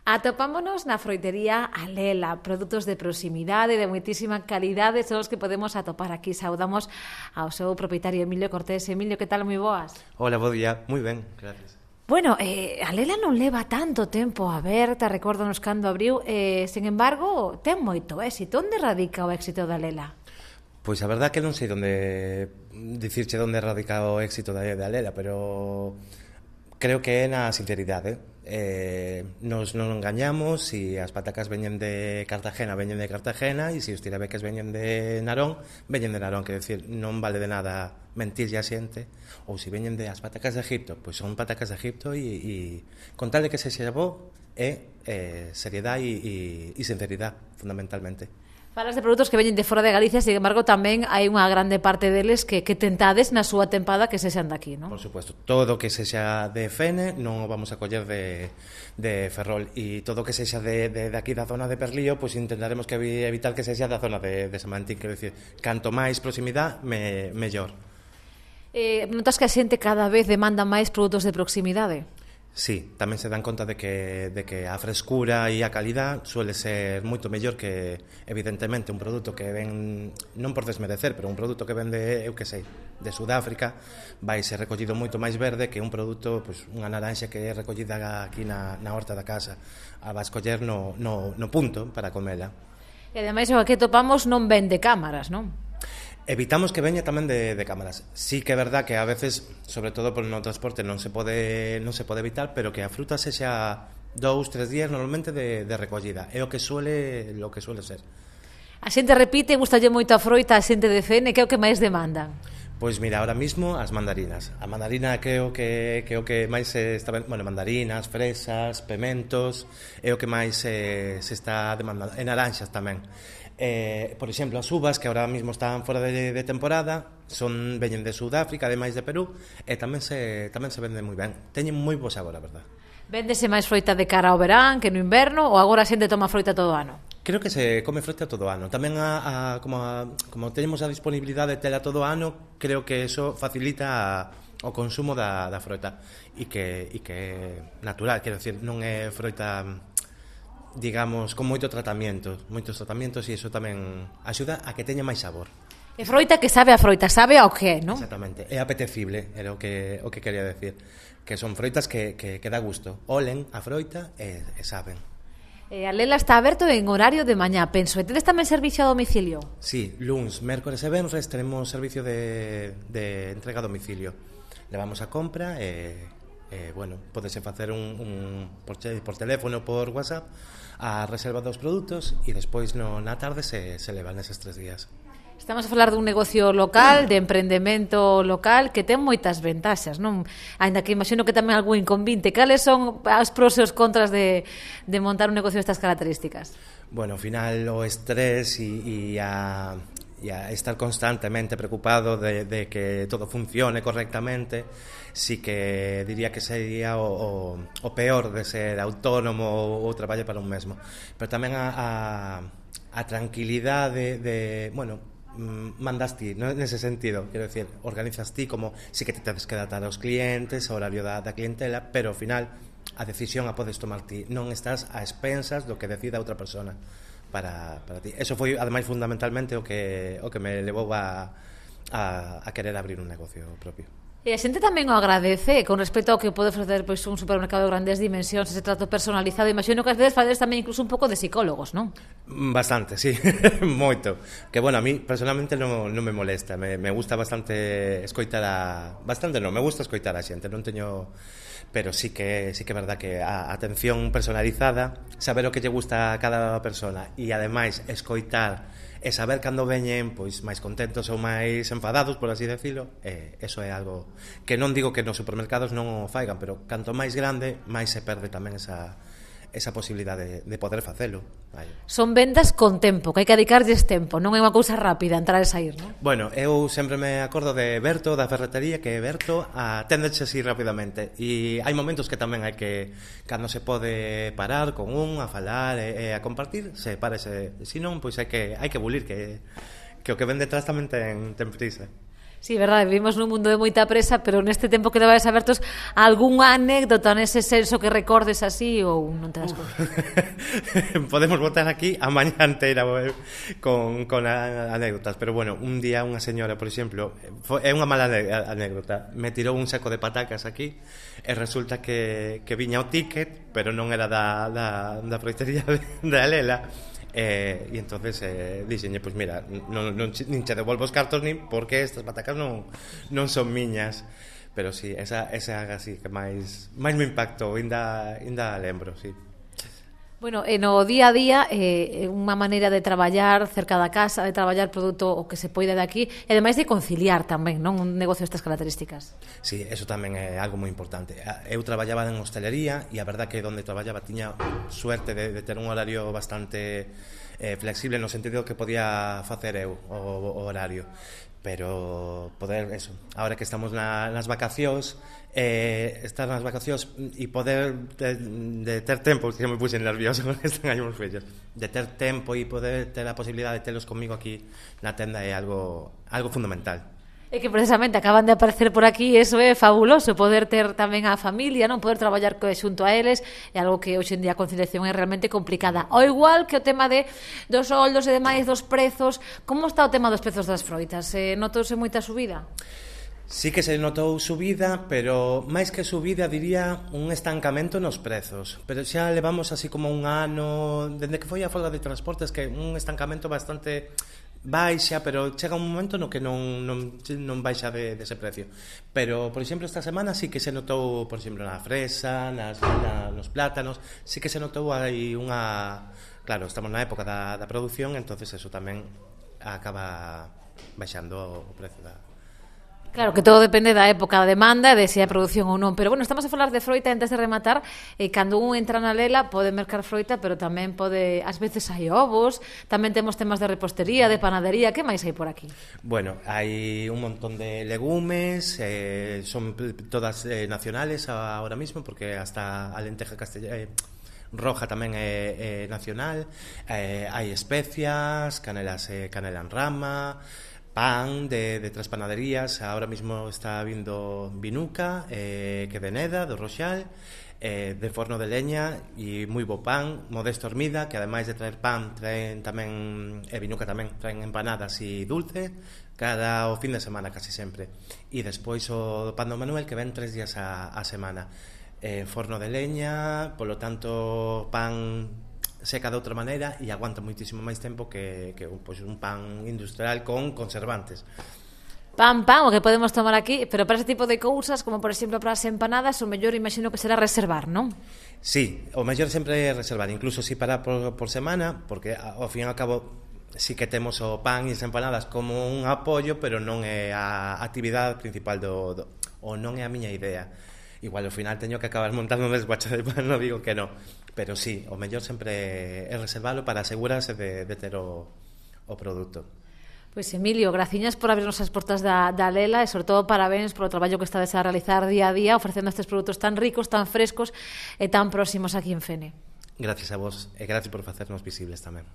Atopámonos na froitería Alela, produtos de proximidade, de moitísima calidade, son os que podemos atopar aquí. Saudamos ao seu propietario Emilio Cortés. Emilio, que tal? Moi boas. Hola, bo día. Moi ben, gracias. Bueno, Alela non leva tanto tempo aberta, recórdanos cando abriu, sen embargo, ten moito éxito. Onde radica o éxito da Alela? Pois a verdad que non sei dicirche onde radica o éxito da Alela, pero creo que é na sinceridade. Nos non engañamos, e as patacas veñen de Cartagena, e se os tirabeques veñen de Narón, quero dicir, non vale de nada mentirlle a xente, ou se veñen de as patacas de Egipto, pois son patacas de Egipto, e con tal de que sexa bo, é seriedade e sinceridade, fundamentalmente. Falas de produtos que veñen de fora de Galicia, sin embargo, tamén hai unha grande parte deles que tentades na súa tempada que sexan daqui, non? Por suposto, todo que sexa de Fene non o vamos a coller de Ferrol, e todo que sexa de aquí da zona de Perlío, pois intentaremos que evitar que sexa da zona de Samantín, quero dicir, canto máis proximidade, mellor. Notas que a xente cada vez demanda máis produtos de proximidade? Sí, tamén se dan conta de que a frescura e a calidad suele ser moito mellor que, evidentemente, un produto que ven, non por desmerecer, pero un produto que ven de, eu que sei, de Sudáfrica, vai ser recollido moito máis verde que un produto, pois, unha naranxa que é recollida aquí na horta da casa. A vas coller no punto para comela. E ademais o que topamos non vende cámaras, non? Evitamos que veña tamén de cámaras. Sí que é verdad que a veces, sobre todo por no transporte, non se pode evitar, pero que a fruta sexa 2-3 días normalmente de recollida. É o que suele ser. A xente repite, gustalle moito a froita, a xente de Fene, que é o que máis demandan? Pois mira, ahora mismo as mandarinas. A mandarina que é o que máis se está, bueno, mandarinas, fresas, pementos, é o que máis se está demandando. E naranxas tamén. Por exemplo, as uvas que ahora mismo están fora de temporada veñen de Sudáfrica, ademais de Perú, e tamén se venden moi ben. Teñen moi bo sabor, a verdad. Véndese máis froita de cara ao verán que no inverno, ou agora a xente toma froita todo o ano? Creo que se come froita todo o ano. Tamén como temos a disponibilidade de tela todo o ano, creo que eso facilita o consumo da froita, e que é natural, quero dicir, non é froita, digamos, con moitos tratamientos, e iso tamén axuda a que teña máis sabor. É froita que sabe a froita, sabe ao que, non? Exactamente, é apetecible, era o que quería decir, que son froitas que dá gusto, olen a froita e saben. A Lela está aberto en horario de mañá, penso. E tedes tamén servicio a domicilio? Sí, luns, mércores e venres tenemos servicio de entrega a domicilio. Levamos a compra bueno, podese facer por teléfono, por WhatsApp, a reserva dos produtos, e despois na tarde se levan eses 3 días. Estamos a falar dun negocio local, de emprendemento local, que ten moitas ventaxas, non? Ainda que imagino que tamén algún inconvinte. Cales son as pros e os contras de montar un negocio destas características? Bueno, ao final o estrés e a estar constantemente preocupado de que todo funcione correctamente, sí que diría que sería o peor de ser autónomo ou traballar para un mesmo. Pero tamén a tranquilidade de bueno, mandas ti, ¿no? Nese sentido, quero decir, organizas ti como si que te tens que datar aos clientes, ao horario da clientela, pero ao final a decisión a podes tomar ti, non estás a expensas do que decida outra persona para ti. Eso foi, ademais, fundamentalmente o que me levou a querer abrir un negocio propio. E a xente tamén o agradece con respecto ao que pode ofrecer, pois, un supermercado de grandes dimensións, ese trato personalizado. Imagino que ás veces facedes tamén incluso un pouco de psicólogos, non? Bastante, sí, moito. Que, bueno, a mí personalmente non me molesta. Me gusta bastante escoitar me gusta escoitar a xente, non teño... Pero sí que é verdad que a atención personalizada, saber o que lle gusta a cada persona, e ademais escoitar e saber cando veñen pois máis contentos ou máis enfadados, por así decirlo, eso é algo que non digo que nos supermercados non o faigan, pero canto máis grande, máis se perde tamén esa posibilidade de poder facelo. Son vendas con tempo, que hai que dedicarlles tempo, non é unha cousa rápida entrar e sair, non? Bueno, eu sempre me acordo de Berto, da ferretería, que Berto aténdeche así rapidamente, e hai momentos que tamén hai que, cando se pode parar con a falar e a compartir, se parece, se non, pois hai que bulir, que o que ven detrás tamén ten prisa. Sí, verdade, vivimos nun mundo de moita presa, pero neste tempo que levades abertos, algunha anécdota nese senso que recordes así ou non te das conta? Podemos botar aquí a mañá inteira con anécdotas, pero bueno, un día unha señora, por exemplo, é unha mala anécdota, me tirou un saco de patacas aquí e resulta que viña o ticket, pero non era da proitería de Alela. E entonces dixenlle, pois mira, nin che devolvo os cartos nin porque estas patacas non son miñas. Pero sí, esa así que máis me impactou, ainda lembro, sí. Bueno, no día a día unha maneira de traballar cerca da casa, de traballar produto o que se poida de aquí e ademais de conciliar tamén, non, un negocio destas características. Sí, eso tamén é algo moi importante. Eu traballaba en hostelería e a verdad que onde traballaba tiña suerte de ter un horario bastante flexible no sentido que podía facer eu o horario, pero poder eso, ahora que estamos nas vacacións, estar nas vacacións e poder de ter tempo, que me puse nervioso con están aí os fillos, de ter tempo e poder ter a posibilidade de telos comigo aquí na tenda é algo fundamental. É que precisamente acaban de aparecer por aquí, eso é fabuloso, poder ter tamén a familia, non poder traballar xunto a eles, é algo que hoxe en día a conciliación é realmente complicada. Ao igual que o tema dos soldos e demais dos prezos, como está o tema dos prezos das froitas? Notouse moita subida? Sí que se notou subida, pero máis que subida diría un estancamento nos prezos. Pero xa levamos así como un ano, dende que foi a folga de transportes, que un estancamento bastante baixa, pero chega un momento no que non baixa dese precio. Pero, por exemplo, esta semana sí que se notou, por exemplo, na fresa, nos plátanos, sí que se notou aí unha... Claro, estamos na época da produción, entonces eso tamén acaba baixando o precio da... Claro, que todo depende da época da demanda e de se hai produción ou non. Pero, bueno, estamos a falar de froita antes de rematar. Cando un entra na Lela pode mercar froita, pero tamén pode... Ás veces hai ovos, tamén temos temas de repostería, de panadería. Que máis hai por aquí? Bueno, hai un montón de legumes, son todas nacionales ahora mismo, porque hasta a lenteja roja tamén é nacional. Hai especias, canela en rama... pan de 3 panaderías, ahora mismo está vindo Vinuca, que de Neda, do Roxal, de forno de leña e moi bo pan, Modesto Hormida, que ademais de traer pan, traen tamén, Vinuca tamén, traen empanadas e dulce, cada o fin de semana casi sempre. E despois o pan do Manuel, que ven 3 días a semana. Forno de leña, polo tanto pan seca de outra maneira e aguanta moitísimo máis tempo que pois, un pan industrial con conservantes. Pan, o que podemos tomar aquí, pero para ese tipo de cousas, como por exemplo para as empanadas, o mellor imagino que será reservar, non? Sí, o mellor sempre é reservar, incluso si para por semana, porque ao fin e ao cabo sí que temos o pan e as empanadas como un apoio, pero non é a actividade principal ou non é a miña idea. Igual ao final teño que acabar montando un desguacho de pan, non digo que no, pero sí, o mellor sempre é reservalo para asegurarse de ter o produto. Pois Emilio, graciñas por abrirnos as portas da Lela e sobre todo parabéns polo traballo que estades a realizar día a día ofrecendo estes produtos tan ricos, tan frescos e tan próximos aquí en Fene. Gracias a vos e gracias por facernos visibles tamén.